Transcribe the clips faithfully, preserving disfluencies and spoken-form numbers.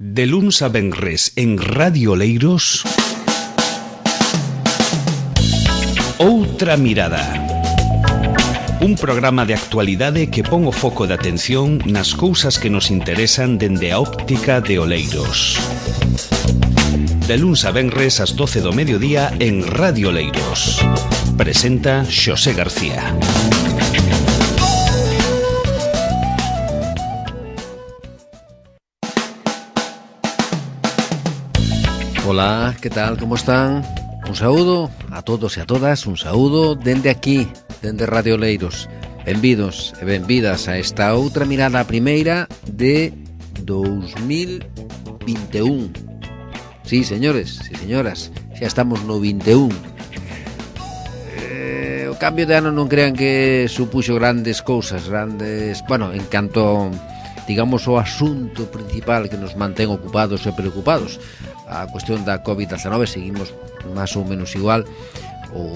De luns a venres en Radio Oleiros, Outra Mirada. Un programa de actualidade que pon o foco de atención nas cousas que nos interesan dende a óptica de Oleiros. De luns a venres ás doce do mediodía en Radio Oleiros. Presenta Xosé García. Ola, que tal, como están? Un saúdo a todos e a todas, un saúdo dende aquí, dende Radio Oleiros. Benvidos e benvidas a esta outra mirada, a primeira de dous mil vinte e un. Sí, señores, sí, señoras, xa estamos no vinte e un. Eh, o cambio de ano non crean que supuxo grandes cousas, grandes... Bueno, en canto, digamos, o asunto principal que nos mantén ocupados e preocupados, a cuestión da covid diecinueve, seguimos máis ou menos igual, ou,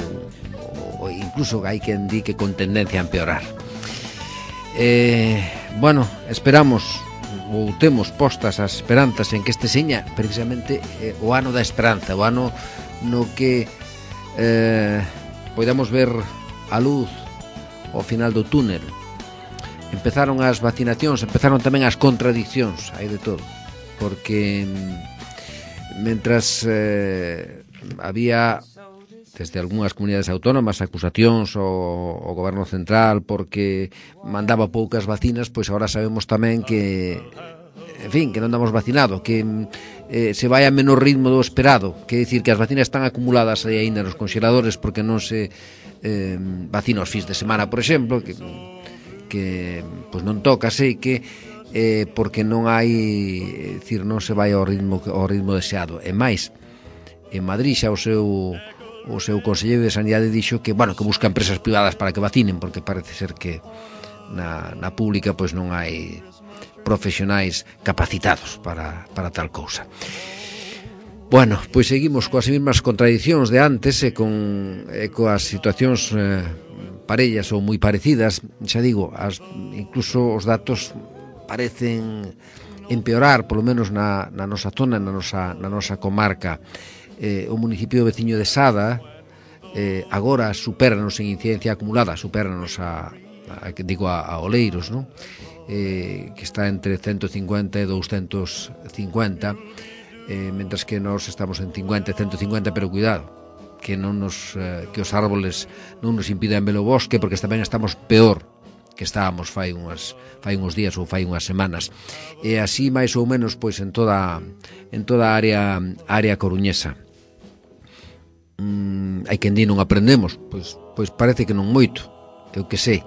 ou incluso hai quen di que con tendencia a empeorar. Eh, bueno, esperamos ou temos postas as esperanzas en que este seña precisamente eh, o ano da esperanza, o ano no que eh, podamos ver a luz ao final do túnel. Empezaron as vacinacións, empezaron tamén as contradicións, hai de todo, porque mentras eh, había desde algunhas comunidades autónomas acusacións ao, ao goberno central porque mandaba poucas vacinas, pois agora sabemos tamén que, en fin, que non damos vacinado, que eh, se vai a menor ritmo do esperado, que é dicir que as vacinas están acumuladas aí aínda nos congeladores porque non se eh, vacina os fins de semana, por exemplo, que, que pois non toca, sei que eh, porque non hai, é dicir, non se vai ao ritmo ao ritmo deseado. E máis, en Madrid xa o seu o seu conselleiro de Sanidade dixo que, bueno, que busca empresas privadas para que vacinen, porque parece ser que na, na pública pois non hai profesionais capacitados para, para tal cousa. Bueno, pois seguimos coas mesmas contradicións de antes e con e coas situacións eh, parellas ou moi parecidas. Xa digo, as, incluso os datos parecen empeorar, polo menos na, na nosa zona, na nosa, na nosa comarca. Eh, o municipio veciño de Sada eh, agora supéranos en incidencia acumulada, supéranos a, a digo a, a Oleiros, ¿no? eh, que está entre ciento cincuenta e doscientos cincuenta, eh, mentras que nós estamos en cincuenta e ciento cincuenta, pero cuidado, que non nos eh, que os árboles non nos impidan ver o bosque, porque tamén estamos peor que estábamos fai unhas fai uns días ou fai unhas semanas. E así máis ou menos pois en toda en toda a área área coruñesa. Mm, hai quen di non aprendemos, pois pois parece que non moito. Eu que sei.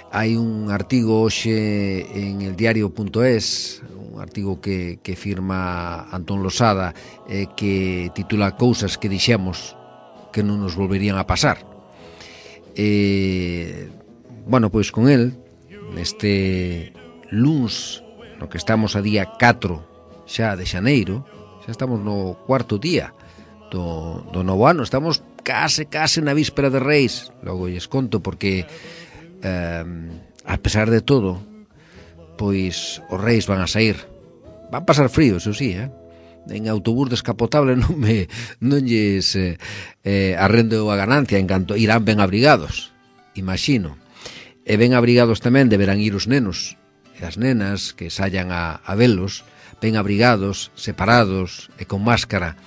Hai un artigo hoxe en el diario punto es, un artigo que que firma Antón Losada, eh, que titula Cousas que dixemos que non nos volverían a pasar. Eh, bueno, pois con el neste luns, no que estamos a día catro xa de xaneiro, xa estamos no cuarto día do, do novo ano, estamos case, case na víspera de Reis. Logo lles conto porque eh, a pesar de todo pois os Reis van a sair, van pasar frío, eso sí, eh? En autobús descapotable non me non lles eh, eh, arrendo a ganancia, en canto irán ben abrigados, imagino. E ben abrigados tamén deberán ir os nenos e as nenas que saian a, a velos, ben abrigados, separados e con máscara.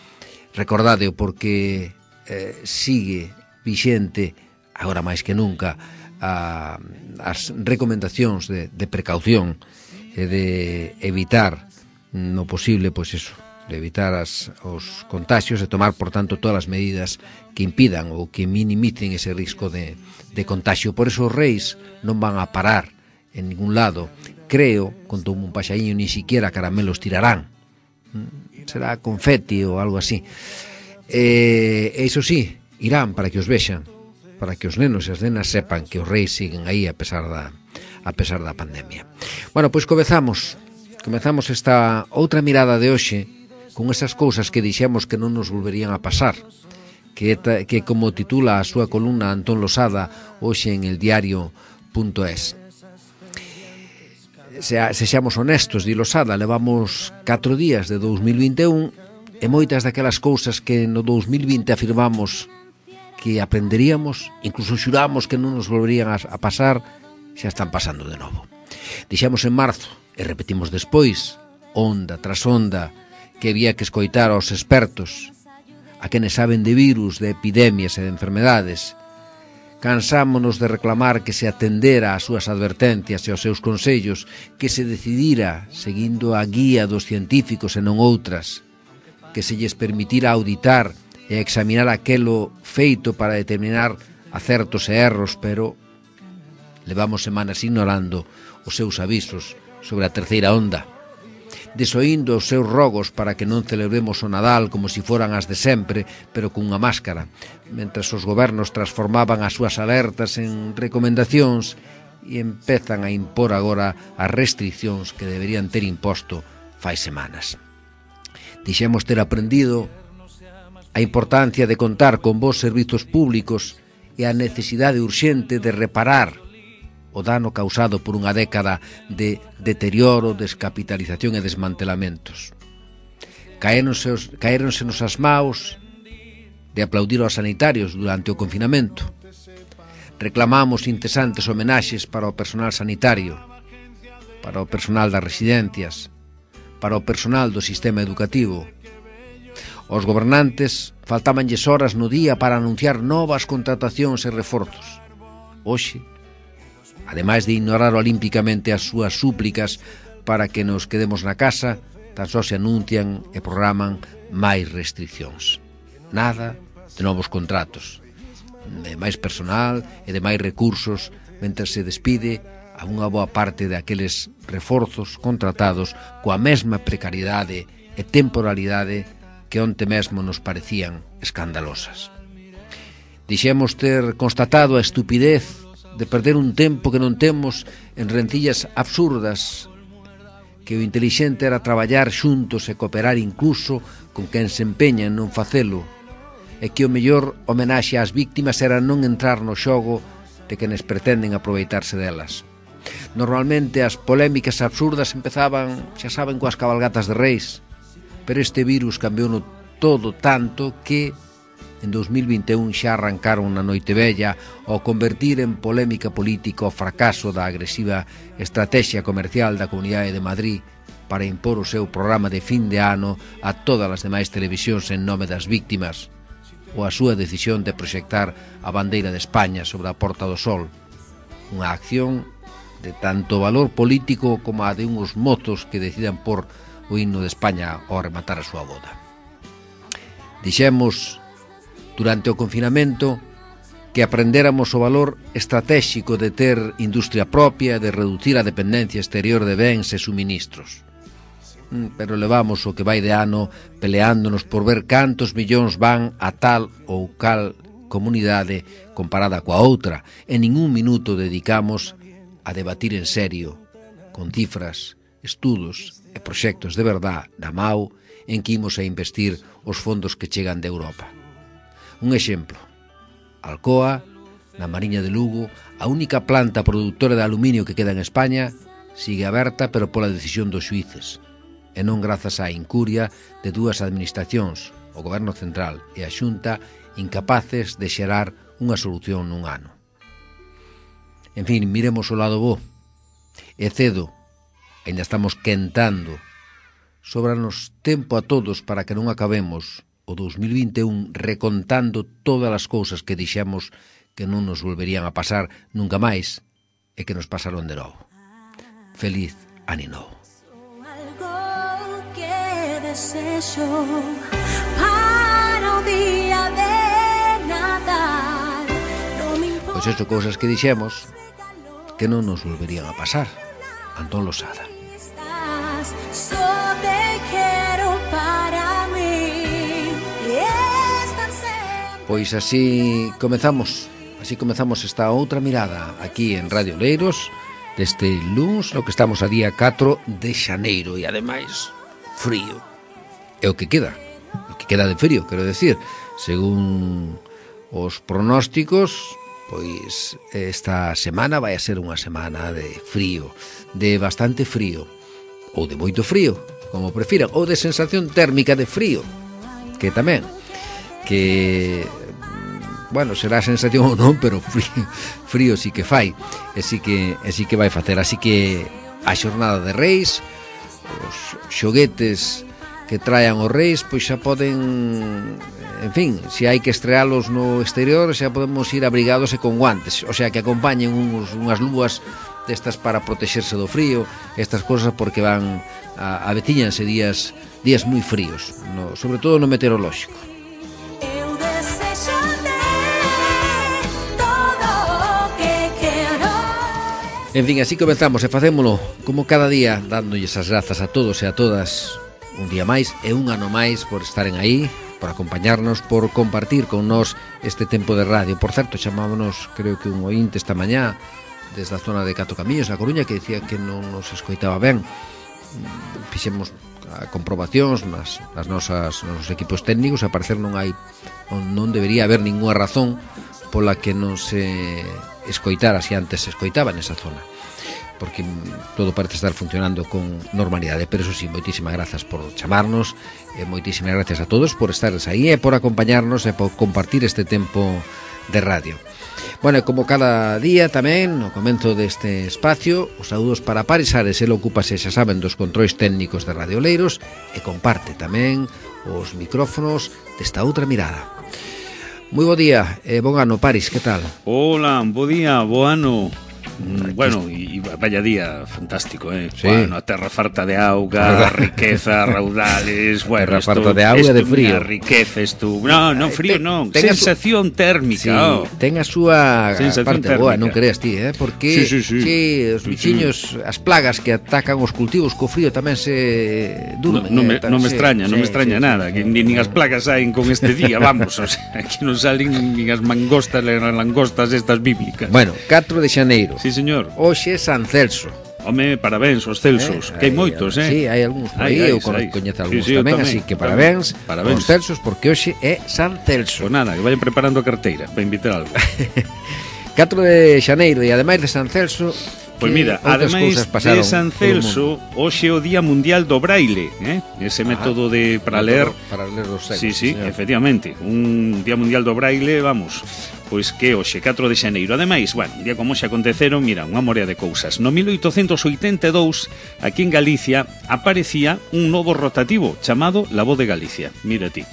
Recordádeo porque eh, sigue vixente, agora máis que nunca, a, as recomendacións de, de precaución e de evitar no posible, pois eso, de evitar as, os contagios e tomar, por tanto, todas as medidas que impidan ou que minimicen ese risco de, de contagio. Por eso os Reis non van a parar en ningún lado. Creo, contou un paxaíño, ni siquiera caramelos tirarán. Será confeti ou algo así. E, e iso sí, irán para que os vexan, para que os nenos e as nenas sepan que os Reis siguen aí a pesar da, a pesar da pandemia. Bueno, pois comezamos. Comezamos esta outra mirada de hoxe con esas cousas que dixemos que non nos volverían a pasar, que, que como titula a súa columna Antón Losada hoxe en el diario punto es. se, sexamos honestos, di Losada, levamos catro días de dous mil vinte e un e moitas daquelas cousas que no dous mil vinte afirmamos que aprenderíamos, incluso xuramos que non nos volverían a, a pasar, xa están pasando de novo. Dixemos en marzo, e repetimos despois, onda tras onda, que había que escoitar aos expertos, a quenes saben de virus, de epidemias e de enfermedades. Cansámonos de reclamar que se atendera ás súas advertencias e aos seus consellos, que se decidira seguindo a guía dos científicos e non outras, que se lles permitira auditar e examinar aquelo feito para determinar acertos e erros, pero levamos semanas ignorando os seus avisos sobre a terceira onda, desoindo os seus rogos para que non celebremos o Nadal como si foran as de sempre, pero cunha máscara, mentras os gobernos transformaban as súas alertas en recomendacións e empezan a impor agora as restriccións que deberían ter imposto fai semanas. Dixemos ter aprendido a importancia de contar con bons servizos públicos e a necesidade urxente de reparar o dano causado por unha década de deterioro, descapitalización e desmantelamentos. Caéronsenos as maus de aplaudir aos sanitarios durante o confinamento. Reclamamos incesantes homenaxes para o personal sanitario, para o personal das residencias, para o personal do sistema educativo. Os gobernantes faltábanlles horas no día para anunciar novas contratacións e reforzos. Hoxe, ademais de ignorar olímpicamente as súas súplicas para que nos quedemos na casa, tan só se anuncian e programan máis restriccións. Nada de novos contratos, de máis personal e de máis recursos, mentre se despide a unha boa parte de aqueles reforzos contratados coa mesma precariedade e temporalidade que onte mesmo nos parecían escandalosas. Dixemos ter constatado a estupidez de perder un tempo que non temos en rencillas absurdas, que o intelixente era traballar xuntos e cooperar incluso con quen se empeña en non facelo, e que o mellor homenaxe ás víctimas era non entrar no xogo de quenes pretenden aproveitarse delas. Normalmente as polémicas absurdas empezaban, xa saben, coas cabalgatas de reis, pero este virus cambiou no todo tanto que en dous mil vinte e un xa arrancaron na noite vella ao convertir en polémica política o fracaso da agresiva estrategia comercial da Comunidade de Madrid para impor o seu programa de fin de ano a todas as demais televisións en nome das víctimas, ou a súa decisión de proxectar a bandeira de España sobre a Porta do Sol, unha acción de tanto valor político como a de uns mozos que decidan por o himno de España ao rematar a súa boda. Dixemos durante o confinamento que aprendéramos o valor estratégico de ter industria propia e de reducir a dependencia exterior de bens e suministros. Pero levamos o que vai de ano peleándonos por ver cantos millóns van a tal ou cal comunidade comparada coa outra, e ningún minuto dedicamos a debatir en serio, con cifras, estudos e proxectos de verdad da M A U en que imos a investir os fondos que chegan de Europa. Un exemplo, Alcoa, na Mariña de Lugo, a única planta produtora de aluminio que queda en España, sigue aberta pero pola decisión dos xuíces, e non grazas á incuria de dúas administracións, o Goberno Central e a Xunta, incapaces de xerar unha solución nun ano. En fin, miremos o lado bo. E cedo, ainda estamos quentando, sobranos tempo a todos para que non acabemos o dous mil vinte e un recontando todas as cousas que dixemos que non nos volverían a pasar nunca máis e que nos pasaron de novo. Feliz Ano Novo. Algo que desexo para o día de Nadal. Pois eso, cousas que dixemos que non nos volverían a pasar. Antón Losada. Só te quero para mí. Pois así comezamos, así comezamos esta outra mirada aquí en Radio Oleiros deste luns, no que estamos a día catro de xaneiro e ademais frío. É o que queda, o que queda de frío, quero decir, según os pronósticos pois esta semana vai a ser unha semana de frío, de bastante frío, ou de moito frío, como prefiran, ou de sensación térmica de frío, que tamén, que, bueno, será sensación ou non, pero frío, frío sí que fai, e sí que, e sí que vai facer, así que a xornada de Reis, os xoguetes que traen os Reis, pois xa poden, en fin, se hai que estrealos no exterior, xa podemos ir abrigados e con guantes, o sea, que acompañen uns, unhas lúas destas para protexerse do frío, estas cosas, porque van a, a veciñanse días días moi fríos, no, sobre todo no meteorolóxico. Eu desexo ter todo o que quero. En fin, así comenzamos e facémolo como cada día, dándolles as grazas a todos e a todas un día máis e un ano máis por estaren aí, por acompañarnos, por compartir con nós este tempo de radio. Por certo, chamámonos, creo que un ointe esta mañá desde a zona de Cato Camiños, a Coruña, que dicía que non nos escoitaba ben. Fixemos comprobacións nas, nas nosas nos nosos equipos técnicos, a parecer non hai non debería haber ninguna razón pola que non se escoitara se antes se escoitaba nesa zona, porque todo parece estar funcionando con normalidade. Pero eso sí, moitísimas grazas por chamarnos e moitísimas gracias a todos por estares aí e por acompañarnos e por compartir este tempo de radio. Bueno, como cada día tamén, no comenzo deste espacio, os saúdos para Paris Ares, el ocúpase, xa saben, dos controis técnicos de Radio Oleiros e comparte tamén os micrófonos desta outra mirada. Moi bo día e bon ano, Paris, que tal? Hola, bo día, bo ano. Mm, bueno, e vaya día fantástico, eh. Sí. Bueno, a terra farta de auga, riqueza, raudales, bueno, terra farta de auga e de frío. Riqueza, esto. No, no, frío ten, non, ten sensación su... térmica. Sí, oh. ten a súa sensación parte térmica. boa, non creas ti, eh, porque sí, sí, sí. sí, os bichiños, sí, as plagas que atacan os cultivos co frío tamén se durmen. No, no, me, eh, non me sí, extraña, sí, non me extraña sí, nada, sí, que ni, ni as plagas saen con este día, vamos, o sea, aquí non salen nin as mangostas, as langostas estas bíblicas. Bueno, catro de xaneiro. Sí, señor. Hoxe é San Celso. Home, parabéns aos Celsos, eh, que hai moitos, eh? Sí, hai algúns por aí, eu coñezo algúns sí, sí, tamén, tamén, así que tamén. parabéns, parabéns aos Celsos, porque hoxe é San Celso. Pues nada, que vayan preparando a carteira para invitar algo. catro de xaneiro e ademais de San Celso, pois mira, ademais de San Celso, hoxe é o Día Mundial do Braille, eh? Ese ah, método de para ler, para ler os segos. Sí, sí, señor. Efectivamente, un Día Mundial do Braille, vamos, pois que hoxe, catro de xaneiro. Ademais, bueno, un día como xe aconteceron, mira, unha morea de cousas. No mil oitocentos oitenta e dous, aquí en Galicia, aparecía un novo rotativo chamado La Voz de Galicia. Mira ti.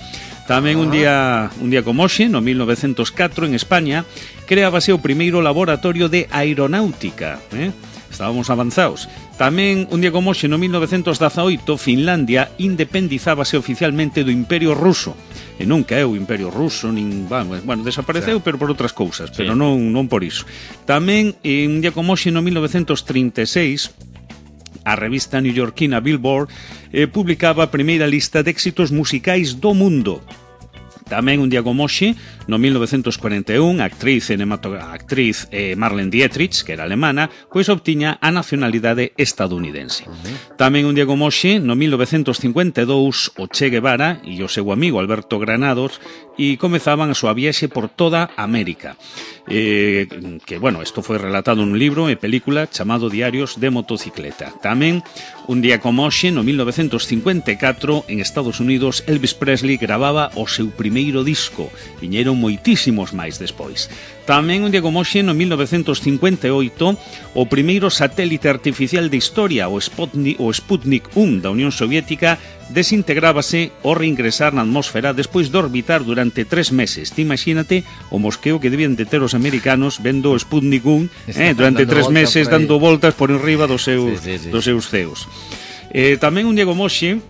Tamén un día un día como hoxe, no mil novecentos catro, en España, creábase o primeiro laboratorio de aeronáutica, eh? Estábamos avanzados. Tamén un día como hoxe, no mil novecentos dezaoito, Finlandia independizábase oficialmente do Imperio Ruso. E non caeu o Imperio Ruso, nin, bueno, bueno desapareceu, pero por outras cousas, pero sí, non non por iso. Tamén un día como hoxe, no mil novecentos trinta e seis, a revista newyorkina Billboard eh, publicaba a primeira lista de éxitos musicais do mundo. Tamén un día como hoxe, no mil novecentos cuarenta e un, a actriz, a actriz eh, Marlene Dietrich, que era alemana, pois obtiña a nacionalidade estadounidense. Uh-huh. Tamén un día como hoxe, no mil novecentos cincuenta e dous, o Che Guevara e o seu amigo Alberto Granados e comezaban a súa viaxe por toda América. Eh, que, bueno, isto foi relatado nun libro e película chamado Diarios de Motocicleta. Tamén, un día como hoxe, no mil novecentos cincuenta e catro, en Estados Unidos, Elvis Presley gravaba o seu primeiro disco. Viñeron moitísimos máis despois. Tamén, un día como hoxe, no mil novecentos cincuenta e oito, o primeiro satélite artificial de historia, o Sputnik, o Sputnik un da Unión Soviética, desintegrábase ao reingresar na atmósfera despois de orbitar durante tres meses. Ti imagínate o mosqueo que debían de ter os americanos vendo o Sputnik un eh, durante tres meses dando voltas por enriba dos seus, sí, sí, sí. dos seus ceos. Eh, tamén un día como hoxe,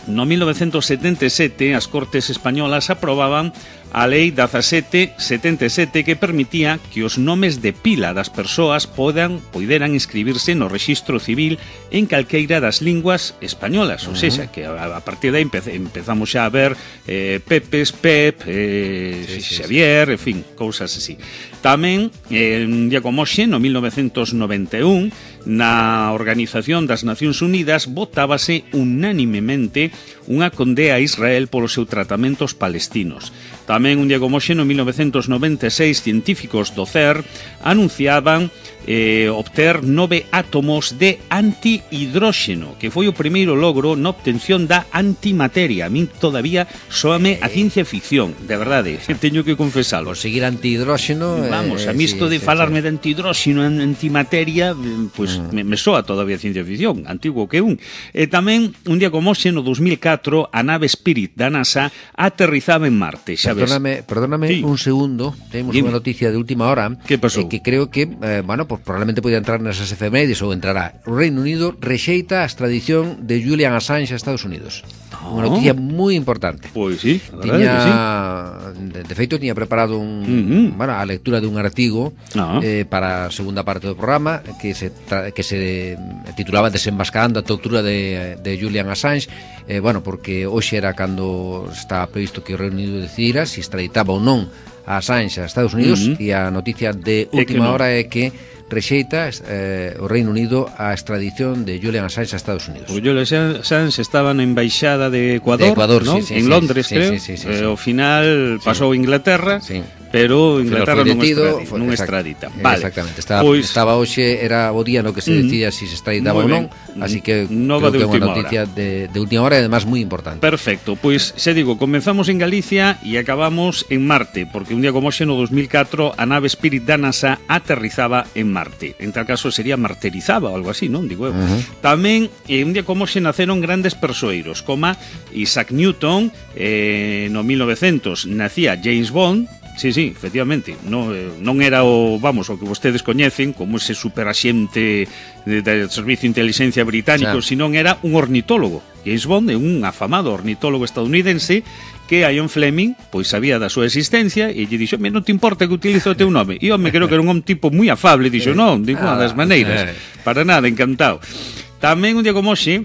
no mil novecentos setenta e sete, as Cortes Españolas aprobaban a Lei dezasete setenta e sete que permitía que os nomes de pila das persoas podan poideran inscribirse no rexistro civil en calqueira das linguas españolas, ou seja, que a, a partir de aí empez, empezamos xa a ver eh, Pepes, Pep, eh, sí, sí, Xavier, sí, en fin, cousas así. Tamén, eh, un día como hoxe, no mil novecentos noventa e un, na Organización das Nacións Unidas votábase unánimemente unha condea a Israel polo seu tratamento aos palestinos. Tamén un día como hoxe, no mil novecentos noventa e seis, científicos do C E R anunciaban eh, obter nove átomos de antihidróxeno, que foi o primeiro logro na obtención da antimateria. A min todavía soame a ciencia ficción, de verdade, teño que confesalo. Conseguir antihidróxeno... Vamos, a mí isto sí, de sí, falarme sí. de antihidróxeno, antimateria, pois pues, mm. me, me soa todavía ciencia ficción, antigo que un. E tamén, un día como hoxe, no dos mil catro, a nave Spirit da NASA aterrizaba en Marte, xa ves. Perdóname, perdóname sí. un segundo, temos unha noticia de última hora. Que pasou? Eh, que creo que, eh, bueno, pues probablemente podía entrar nesas efemérides ou entrará. O Reino Unido rexeita a extradición de Julian Assange a Estados Unidos. Oh. Unha noticia moi importante. Pois sí, a verdade tiña, que sí. De, de feito, tiña preparado un, uh-huh. bueno, a lectura dun artigo uh-huh. eh, para a segunda parte do programa que se, que se titulaba Desenmascarando a tortura de, de Julian Assange. Eh, bueno, porque hoxe era cando estaba previsto que o Reino Unido decidira se extraditaba ou non a Assange a Estados Unidos, uh-huh. e a noticia de última no. hora é que rexeita eh, o Reino Unido a extradición de Julian Assange a Estados Unidos. O Julian Assange estaba na embaixada de Ecuador, de Ecuador ¿no? sí, sí, en sí, Londres, sí, creo. Sí, sí, sí, eh, sí. Ao final pasou a Inglaterra, sí. pero Inglaterra non extradita, foi, non extradita. Vale. Exactamente. Estaba, pois, estaba hoxe, era o día no que se decía mm, si se extraditaba ou non, así que nova creo que é unha noticia de, de última hora e además moi importante. Perfecto, pois xa digo, comenzamos en Galicia e acabamos en Marte, porque un día como hoxe no dos mil catro a nave Spirit da NASA aterrizaba en Marte. En tal caso sería martirizaba ou algo así, non? Digo eu. Uh-huh. Tamén, eh, un día como hoxe naceron grandes persoeiros, como Isaac Newton, eh, no mil novecentos nacía James Bond. Sí, sí, efectivamente, non, non era o, vamos, o que vostedes coñecen como ese superaxente do Servicio de Inteligencia Británico, claro. Sino era un ornitólogo. James Bond é un afamado ornitólogo estadounidense que a Ian Fleming pois sabía da súa existencia e lle dixo, non te importa que utilizo o teu nome. E home, creo que era un tipo moi afable, dixo, non, de ninguna das maneiras, para nada, encantado. Tamén un día como hoxe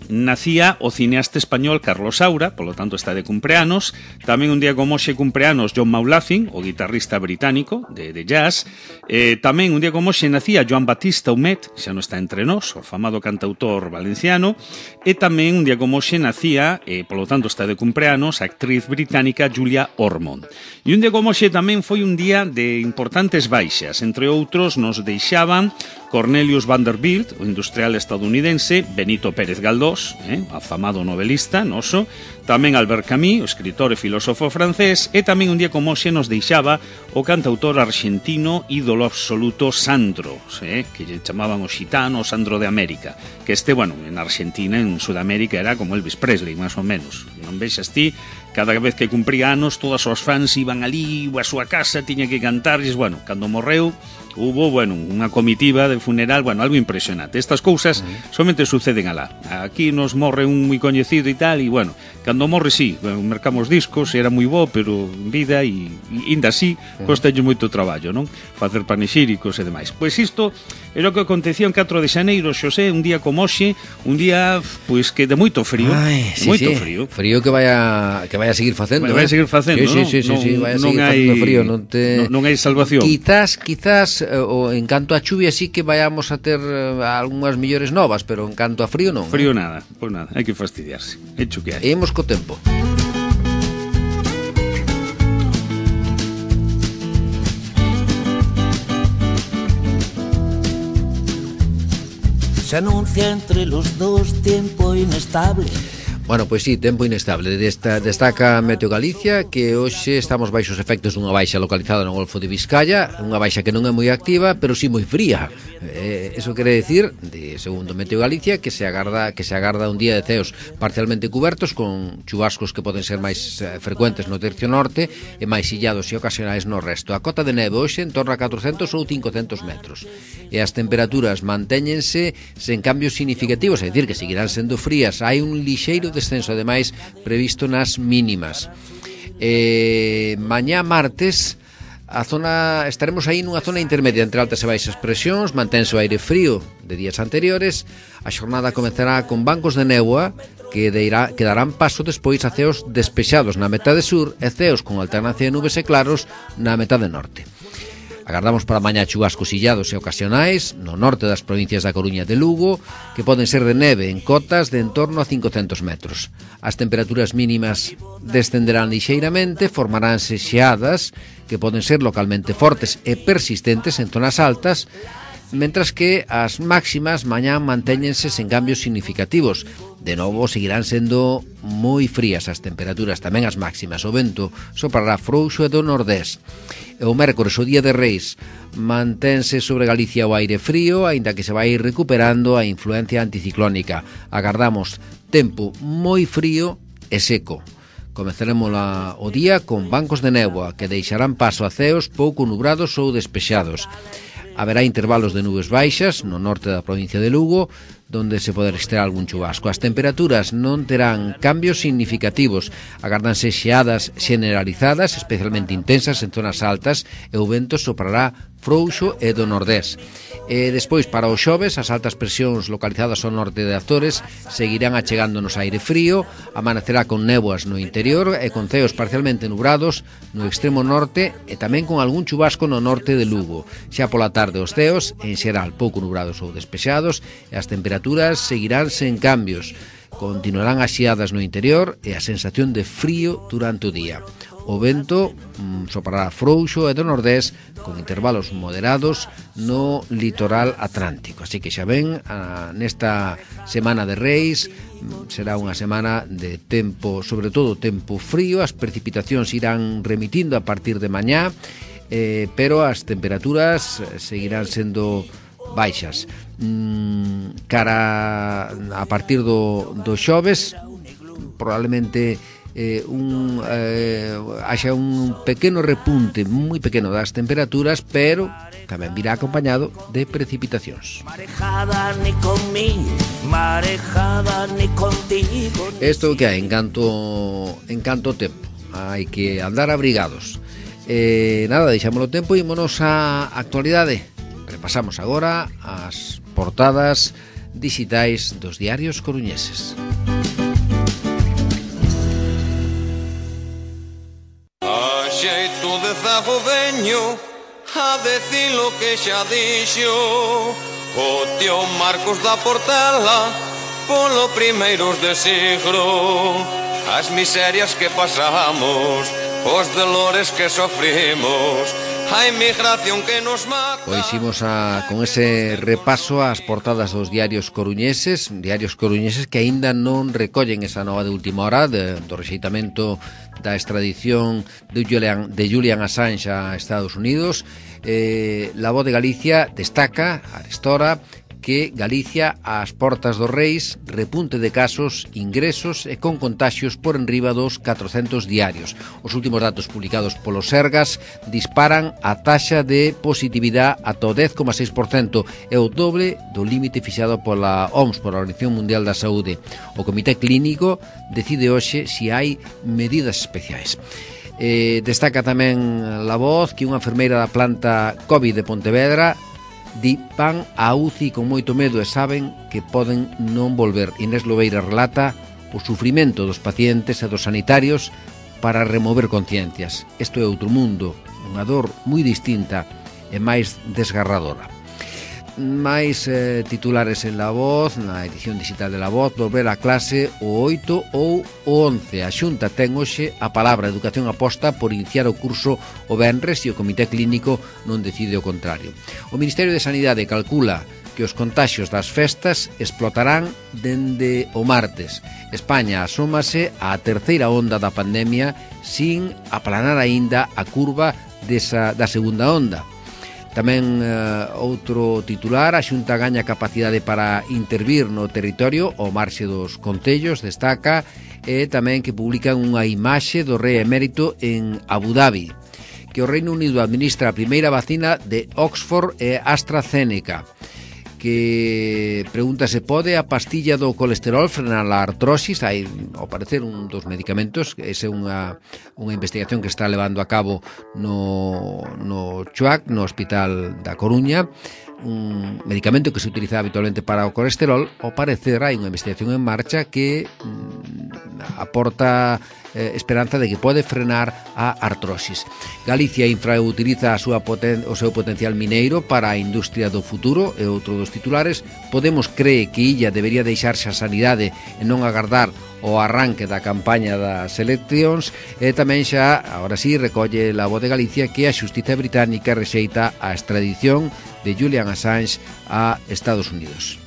nacía o cineasta español Carlos Saura, polo tanto está de cumpleanos. Tamén un día como hoxe cumpleanos John Maulafin, o guitarrista británico de, de jazz. eh, Tamén un día como hoxe nacía Joan Batista Humet, xa non está entre nós, o afamado cantautor valenciano. E tamén un día como hoxe nacía, eh, polo tanto está de cumpleanos, a actriz británica Julia Ormond. E un día como hoxe tamén foi un día de importantes baixas. Entre outros nos deixaban Cornelius Vanderbilt, o industrial estadounidense, Benito Pérez Galdós, eh, afamado novelista noso, tamén Albert Camus, o escritor e filósofo francés, e tamén un día como hoxe nos deixaba o cantautor argentino ídolo absoluto Sandro, eh, que lle chamaban o xitano, o Sandro de América, que este, bueno, en Argentina, en Sudamérica, era como Elvis Presley, máis ou menos. Non vexas ti, cada vez que cumpría anos, todas os fans iban ali a súa casa, tiña que cantarlles, bueno, cando morreu, hubo, bueno, unha comitiva de funeral, bueno, algo impresionante. Estas cousas uh-huh. somente suceden alá. Aquí nos morre un moi coñecido e tal, e bueno, cando morre sí, bueno, mercamos discos, era moi bo, pero en vida e ainda así, uh-huh. costalle moito traballo, non? Facer panexíricos e demais. Pois isto é o que acontecía en catro de xaneiro, Xosé, un día como hoxe, un día, pois, que de moito frío, Ay, sí, moito sí. frío. Frío que vaya que vaya a seguir facendo, vai, vai a seguir facendo, sí, non? Sí, sí, non, sí, vai a seguir non hai, facendo frío, non te non, non hai salvación. Quizás, quizás o en canto a chuvia sí que vayamos a ter uh, algunhas millores novas, pero en canto a frío non. Frío nada, pois nada, hai que fastidiarse. Hecho que hai. E imos co tempo. Se anuncia entre los dos tiempo inestable. Bueno, pois sí, tempo inestable. Desta, destaca Meteo Galicia que hoxe estamos baixo os efectos dunha baixa localizada no Golfo de Vizcaya, unha baixa que non é moi activa, pero sí moi fría. Eh, eso quere decir, de segundo Meteo Galicia, que se agarda que se agarda un día de ceos parcialmente cubertos con chubascos que poden ser máis eh, frecuentes no tercio norte e máis illados e ocasionais no resto. A cota de neve hoxe en torno a catrocentos ou cincocentos metros. E as temperaturas mantéñense sen cambios significativos, é dicir, que seguirán sendo frías. Hai un lixeiro descenso ademais previsto nas mínimas. Eh, mañá martes a zona estaremos aí nunha zona intermedia entre altas e baixas presións, mantense o aire frío de días anteriores. A xornada comezará con bancos de néboa que, deirá, que darán paso despois a ceos despexados na metade sur e ceos con alternancia de nubes e claros na metade norte. Agardamos para mañá chubascos illados e ocasionais no norte das provincias da Coruña e de Lugo, que poden ser de neve en cotas de en torno a cincocentos metros. As temperaturas mínimas descenderán lixeiramente, formaránse xeadas que poden ser localmente fortes e persistentes en zonas altas, mentras que as máximas mañá mantéñense sen cambios significativos. De novo, seguirán sendo moi frías as temperaturas, tamén as máximas. O vento soprará frouxo e do nordés. E o mércores, o día de Reis, mantense sobre Galicia o aire frío, aínda que se vai recuperando a influencia anticiclónica. Agardamos tempo moi frío e seco. Comezaremos la, o día con bancos de néboa que deixarán paso a ceos pouco nubrados ou despexados. Haberá intervalos de nubes baixas no norte da provincia de Lugo, donde se poderá registrar algún chubasco. As temperaturas non terán cambios significativos. Agárdanse xeadas generalizadas, especialmente intensas en zonas altas, e o vento soprará frouxo e do nordés. E despois, para os xoves, as altas presións localizadas ao norte de Azores seguirán achegándonos aire frío, amanecerá con néboas no interior e con ceos parcialmente nubrados no extremo norte e tamén con algún chubasco no norte de Lugo. Xa pola tarde os ceos, en xeral pouco nubrados ou despexados, e as temperaturas seguirán sen cambios. Continuarán as xeadas no interior e a sensación de frío durante o día. O vento mm, soprará frouxo e do nordés con intervalos moderados no litoral atlántico. Así que xa ven, a, nesta semana de Reis mm, será unha semana de tempo, sobre todo tempo frío. As precipitacións irán remitindo a partir de mañá, eh, pero as temperaturas seguirán sendo baixas. Mm, cara a partir do, do xoves, probablemente Eh, un, eh, haxa un pequeno repunte moi pequeno das temperaturas, pero tamén virá acompañado de precipitacións. Marejada ni conmigo, marejada ni contigo. Isto que hai en canto, en canto tempo, hai que andar abrigados. Eh, nada, deixámoslo tempo e ímonos á actualidade. Repasamos agora as portadas digitais dos diarios coruñeses. Xeito de zago veño a decir lo que xa dixo o tío Marcos da Portela polo primeiros de siglo. As miserias que pasamos, os dolores que sofrimos, a emigración que nos mata. Pois imos a, con ese repaso ás portadas dos diarios coruñeses, diarios coruñeses que aínda non recollen esa nova de última hora de, do rexeitamento da extradición de Julian, de Julian Assange a Estados Unidos. eh, La Voz de Galicia destaca a esta hora que Galicia ás portas dos Reis, repunte de casos, ingresos e con contaxios por enriba dos catrocentos diarios. Os últimos datos publicados polo Sergas disparan a taxa de positividade ata o dez coma seis por cento, e o doble do límite fixado pola O M S, pola Organización Mundial da Saúde. O Comité Clínico decide hoxe se hai medidas especiais. Eh, destaca tamén La Voz que unha enfermeira da planta COVID de Pontevedra di van a U C I con moito medo e saben que poden non volver. Inés Lobeira relata o sufrimento dos pacientes e dos sanitarios para remover conciencias. Isto é outro mundo, unha dor moi distinta e máis desgarradora. máis eh, titulares en La Voz, na edición digital de La Voz, volver a clase o oito ou o once. A Xunta ten hoxe a palabra. Educación aposta por iniciar o curso o venres e o Comité Clínico non decide o contrario. O Ministerio de Sanidade calcula que os contaxios das festas explotarán dende o martes. España asómase á terceira onda da pandemia sin aplanar aínda a curva desa, da segunda onda. Tamén uh, outro titular, a Xunta gaña capacidade para intervir no territorio ao marxe dos concellos, destaca, e tamén que publican unha imaxe do rei emérito en Abu Dhabi, que o Reino Unido administra a primeira vacina de Oxford e AstraZeneca, que pregunta se pode a pastilla do colesterol frenar a artrosis. Hai, ao parecer, un dos medicamentos, esa é unha, unha investigación que está levando a cabo no, no Chuac, no Hospital da Coruña, un medicamento que se utiliza habitualmente para o colesterol. Ao parecer hai unha investigación en marcha que aporta eh, esperanza de que pode frenar a artrosis. Galicia infrautiliza a súa poten- o seu potencial mineiro para a industria do futuro, e outro dos titulares. Podemos cree que Illa debería deixarse a sanidade e non agardar o arranque da campaña das eleccións. E tamén xa, agora sí, recolle La Voz de Galicia que a xustiza británica rexeita a extradición de Julian Assange a Estados Unidos.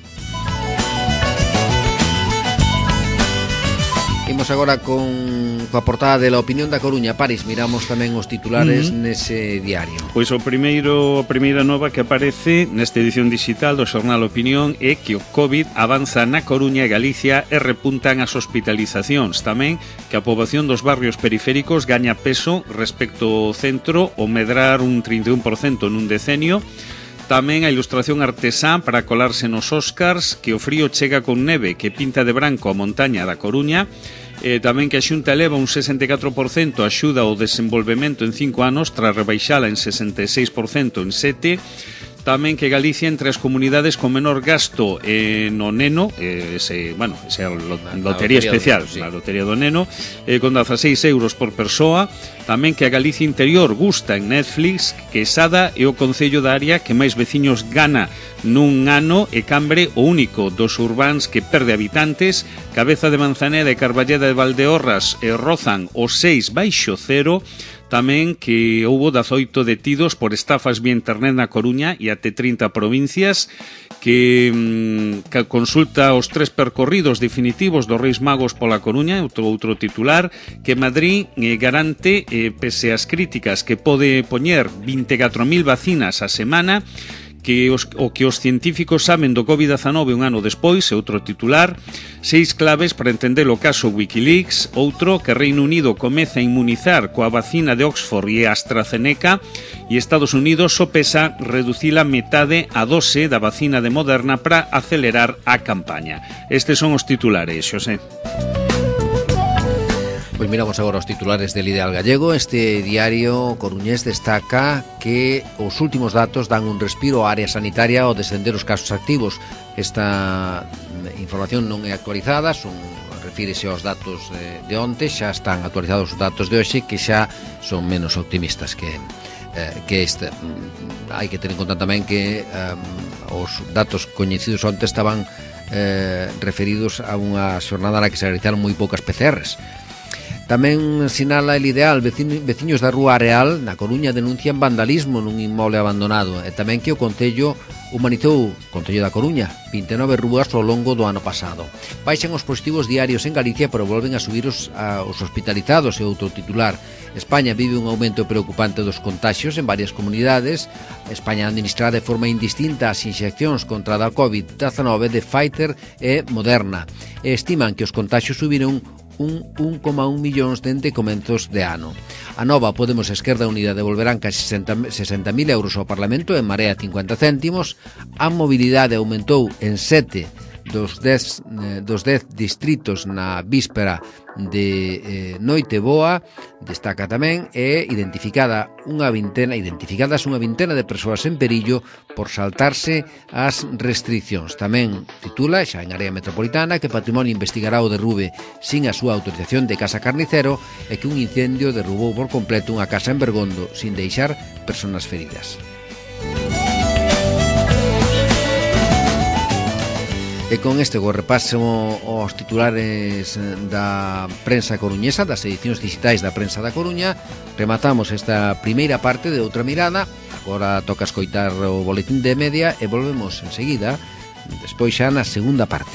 Imos agora con coa portada de La Opinión da Coruña. Paris, miramos tamén os titulares uh-huh. nese diario. Pois o primeiro, a primeira nova que aparece nesta edición digital do xornal Opinión é que o COVID avanza na Coruña e Galicia e repuntan as hospitalizacións. Tamén que a poboación dos barrios periféricos gaña peso respecto ao centro, o medrar un trinta e un por cento nun decenio. Tamén a ilustración artesá para colarse nos Óscars, que o frío chega con neve que pinta de branco a montaña da Coruña. Eh, tamén que a Xunta eleva un sesenta e catro por cento a axuda ao desenvolvemento en cinco anos tras rebaixala en sesenta e seis por cento en sete. Tamén que Galicia entre as comunidades con menor gasto eh, no neno, eh, ese, bueno, esa lo, lotería especial, sí. La lotería do neno, eh, con dezaseis euros por persoa. Tamén que a Galicia interior gusta en Netflix, que Sada é o concello da área que máis veciños gana nun ano e Cambre o único dos urbáns que perde habitantes. Cabeza de Manzaneda e Carballeda de Valdeorras eh, rozan os seis baixo cero. Tamén que houbo dezaoito detidos por estafas vía internet na Coruña e até trinta provincias, que, que consulta os tres percorridos definitivos dos Reis Magos pola Coruña, outro outro titular, que Madrid eh, garante, eh, pese ás críticas, que pode poñer vinte e catro mil vacinas a semana, que os, o que os científicos saben do covid dezanove un ano despois, é outro titular. Seis claves para entender o caso Wikileaks. Outro, que Reino Unido comeza a inmunizar coa vacina de Oxford e AstraZeneca, e Estados Unidos sopesa reducir a metade a dose da vacina de Moderna para acelerar a campaña. Estes son os titulares, Xosé. Pois miramos agora os titulares del Ideal Gallego. Este diario coruñés destaca que os últimos datos dan un respiro á área sanitaria ao descender os casos activos. Esta información non é actualizada, son, refírese aos datos de, de onte, xa están actualizados os datos de hoxe, que xa son menos optimistas que, eh, que este. Hai que ter en conta tamén que um, os datos coñecidos onte estaban eh, referidos a unha xornada na que se realizaron moi poucas P C Rs. Tamén sinala el Ideal, veciños, veciños da Rúa Areal na Coruña denuncian vandalismo nun inmoble abandonado, e tamén que o Concello humanizou, Concello da Coruña, vinte e nove rúas ao longo do ano pasado. Baixan os positivos diarios en Galicia, pero volven a subir os, a, os hospitalizados, e outro titular. España vive un aumento preocupante dos contaxios en varias comunidades. España administra de forma indistinta as inxeccións contra a covid dezanove de Pfizer e Moderna, e estiman que os contaxios subiron un un coma un millóns dende comenzos de ano. A Nova, Podemos e Esquerda Unida devolverán casi sesenta mil euros ao Parlamento, en Marea cincuenta céntimos. A mobilidade aumentou en sete dos dez, dos dez distritos na víspera de eh, Noite Boa. Destaca tamén é identificada unha vintena, identificadas unha vintena de persoas en perillo por saltarse as restriccións. Tamén titula, xa en área metropolitana, que Patrimonio investigará o derrube sin a súa autorización de Casa Carnicero, e que un incendio derrubou por completo unha casa en Bergondo sin deixar persoas feridas. E con este go repaso os titulares da prensa coruñesa, das edicións digitais da prensa da Coruña, rematamos esta primeira parte de Outra Mirada. Agora toca escoitar o boletín de media e volvemos enseguida, despois xa na segunda parte.